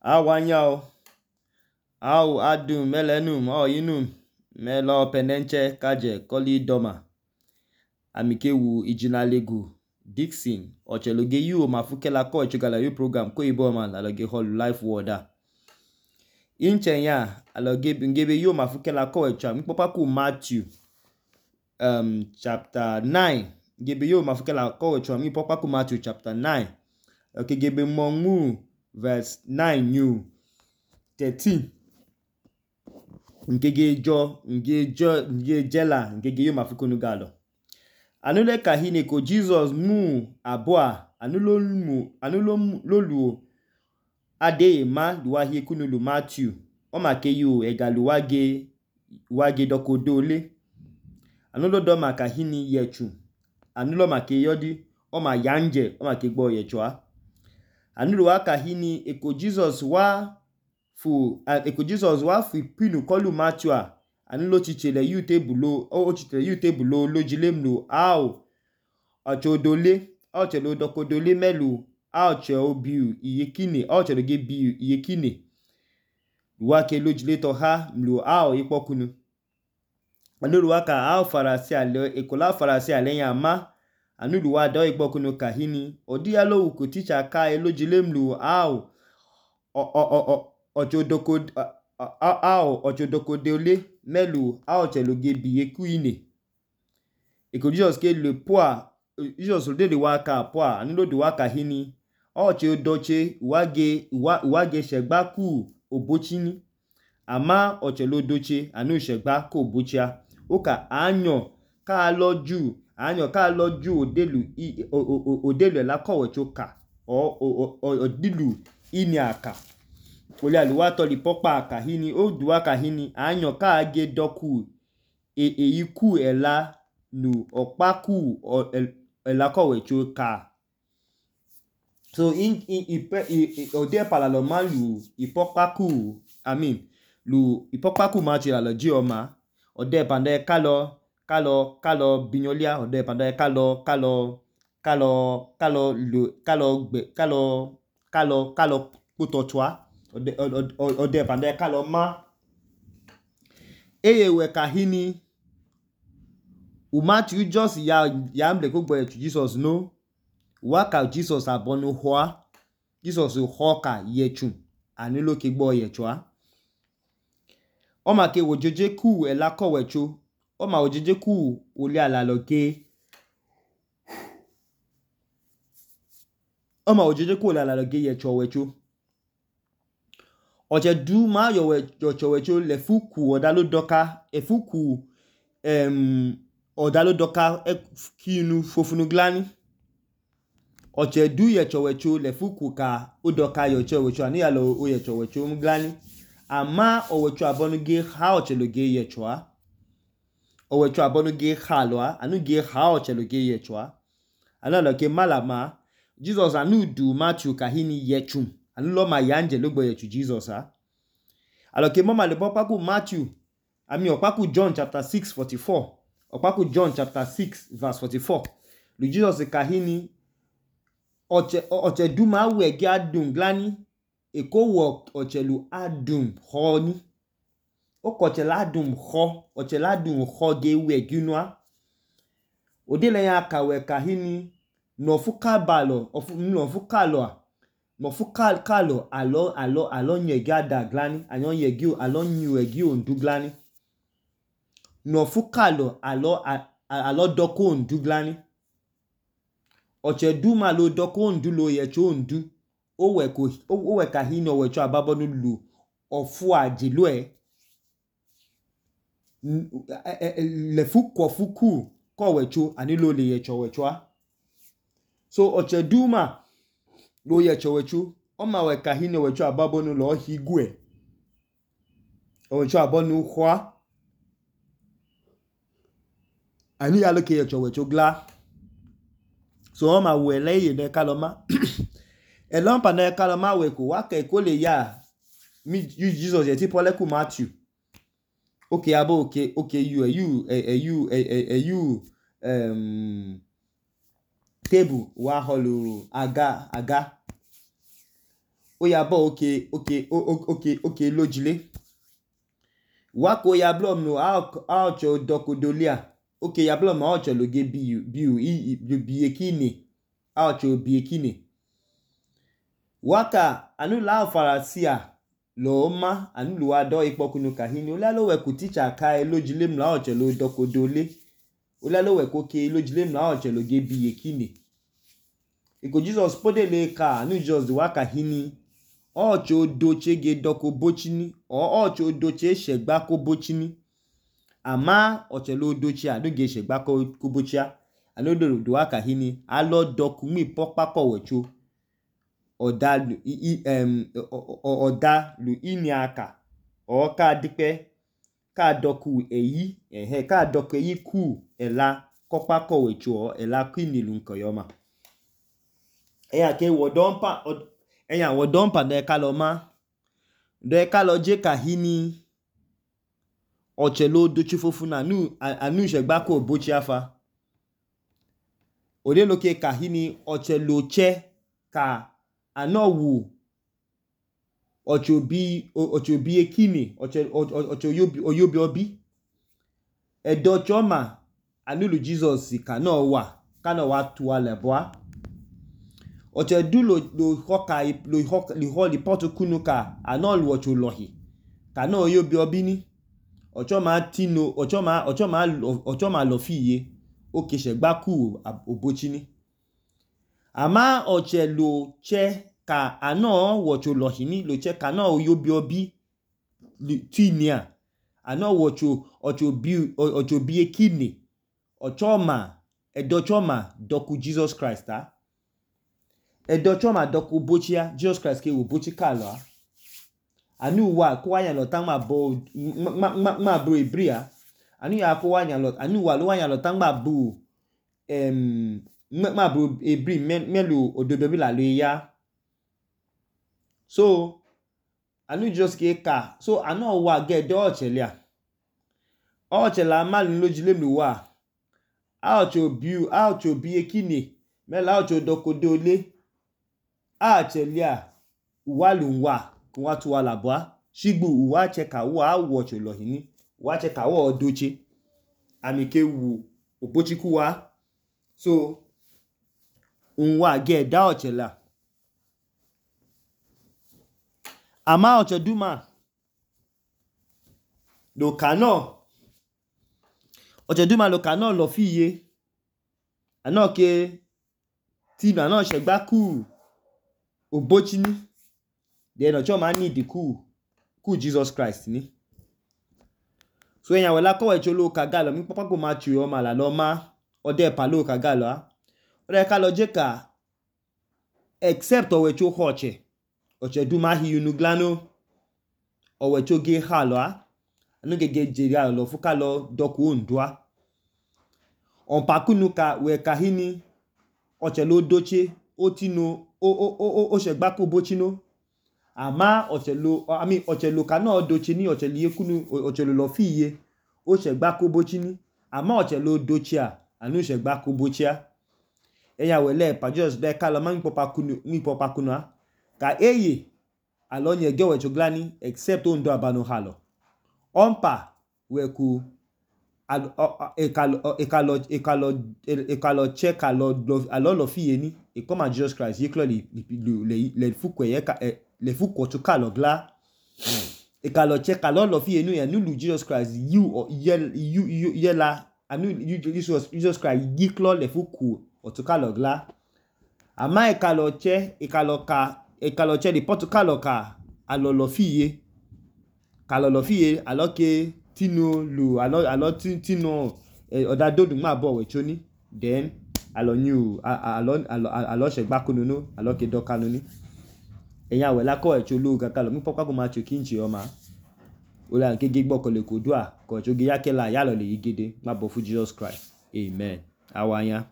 Awanyao, au adum melenum oyinum melo penenche kaje koli doma. Amikewu ijinalegu Dixon ocheloge yu mafukela ko echugala yu program ko iboma aloge holu life worda. Inchenya aloge ngebe yu mafukela ko echa mpopaku Matthew chapter 9. Ngebe yu mafukela ko echa mpopaku Matthew chapter 9. Okegebe mongu verse 9 new 13. Ngejela ngege yu mafukunu galo. Anule kahine ko Jesus mu abua anulolu ade ma duwahi kunulu Matthew omake yu wage dokodole. Anulodo makahini yechu anulo make yodi oma yanje omake gbo yechwa. Anulo wakahini eko Jesus wa fu pinu kolu Matthew anulo chichele yu tebulo lojilemlu au ochodole ochelo dokodole melu aucho biu iyekine ocheloge biu iyekine wake lojile toha mlu au ipokunu. Anulo waka au farasi alenya ma anulo wa do ipokunu kahini odiyalo uko teacher ka elojilemlu au ochodokodole melu au cheloge biyekuine. Eko Jesus ke le poa Jesus de waka poa anulo de waka hini oche doche wage shegbaku obochini ama ochelo doche anu shegba ko obochia oka anyo ka loju odelu la kowe choka odilu ini aka oli aluwa toli popa aka hini oduwa ka hini anyo ka age doku eyiku ela nu okpaku ela kowe choka. So ode palalo ma lu ipokpaku machi la loji oma ode pande kalo binyolia ode pande kalo kutochwa ode pande kalo ma eyewe kahini Matthew just ya mble kugbo echu Jesus no waka Jesus abonu hoa Jesus hoka yechu anulo kigbo yechwa oma ke wojeje ku ela kowecho oma wojeje ku oli alaloge yecho wecho oche du ma yocho wecho lefuku odalodoka efuku odalodoka kinu fofunu glani oche du yecho wecho lefuku ka odoka yocho wecho ani yalo o yecho wecho mglani ama owecho abonuge ha ocheloge yechwa owecho abonuge halwa anuge ha ocheloge yechwa analoke malama Jesus anu du Matthew kahini yechum anulo ma yanje logbo yechu Jesus aloke mama le popaku Matthew okpaku John chapter 6:44 okpaku John chapter 6 verse 44 lu Jesus kahini oche duma wege adum glani ekowo ochelu adum honi okochela adum ho ochela adum ho ge wegunwa odele ya kawe kahini nofukalo alo nyege ada glani anyon yegi alo nyu egi ondu glani nofukalo alo doko ondu glani oche duma lo doko ondu lo yecho ondu owe kahini owecho ababonu lu ofu ajiloe lefuku ko wecho anilo le yecho wecho so oche duma lo yecho wecho oma we kahini wecho ababonu lo higwe owecho abonu hwa ani aloke yecho wecho gla so oma we leye ne kaloma elompa ne kaloma we ko wake ko le ya mi Jesus yeti poleku Matthew okay abo okay you table wa holu aga oyabo oke lojile wako yablo no aocho dokodolia oke yablo ma aocho loge biekine aocho biekine waka anu la farasia lo ma anu lo ado ipokunu kahini olalo we ku teacher ka lojile mla aocho lo dokodole olalo we ko ke lojile mla aocho loge biekine iko Jesus podele ka anu just waka hini ocho doche ge doko bochini ocho doche shegba ko bochini ama ocho lo doche anu ge shegba ko bochia anu do waka hini alo doku mi pokpa ko wecho oda lu ini aka o ka dipe ka doku eyi ka doku eyi ku ela kokpa ko wecho ela kwini lu nkoyoma eya ke wodompa de kaloma de kalo je kahini ochelo dochi fofuna anu shegba ko bochi afa ode loke kahini ochelo che ka anowu ochobi ekine ocho oyobi obi edo choma anu lu Jesus kano wa tuwa leboa oche du lo hoka li potu kunu ka anolu ocho lohi kano oyobi obini ochoma tino ochoma lofiye oke shegba ku obochini ama oche lo che ka ano wocho lohini lo che ka no oyobi obi tinia ano ocho bi ekine ochoma edochoma doku Jesus Christ edochoma doku bochia Jesus Christ ke wo bochi kalo anu wa ko wa yan lo tan ma bo ebria anu ya ko wa yan lo anu wa lo wa yan lo tan ma bo ma bo ebri melu ododo bi la lo ya so anu just ke ka so anu wa ge do ochelia ochela malu lojile mi wa aocho bi ekine mela aocho dokodole achelia uwalu wa ku wa tu wala bwa shigbu uwa cheka wa wocho lohini wa cheka wa odoche amike wu obochiku wa so unwa ge da ochela ama ocho duma lo kano lo fiye anoke tino ano shegba ku obochini then ocho ma need ku Jesus Christ ni so yan wela ko wecho lo kagalo mi papa ko ma chu o ma la lo ma ode pa lo kagalo ode ka lo je ka except o wecho hoche duma hi unu glano o wecho ge halo anu ge jeri lo fu ka lo doku ondua on pakunu ka we ka hini oche lo doche otino o shegba ko bochino ama ochelo kana doche ni ochelo yekunu ochelo lo fiye o shegba ko bochini ama ochelo dochia anu shegba ko bochia eya wele pa just de kala man popa kunu ka eye alonye ge we choglani except ondo abano halo ompa we ku ekalo check alo lo fiye ni e come Jesus Christ ye clearly le fukwe ye ka le fukwo to kalo gla ekalo check alo lo fiye nu ya nu Jesus Christ you la anu Jesus Christ ye clearly le fukwo to kalo gla ama ekalo che di potu kalo ka alo lo fiye alo ke tino lu alo tino oda dodun ma bo we choni then alo shegba kununu alo ke dokanu ni eya we la ko e cholu kakalo mi papa ko ma chu kinchi o ma o la ke gigbo ko le kodua ko chu ge yakela ya lo le yigede ma bo fu Jesus Christ amen awanya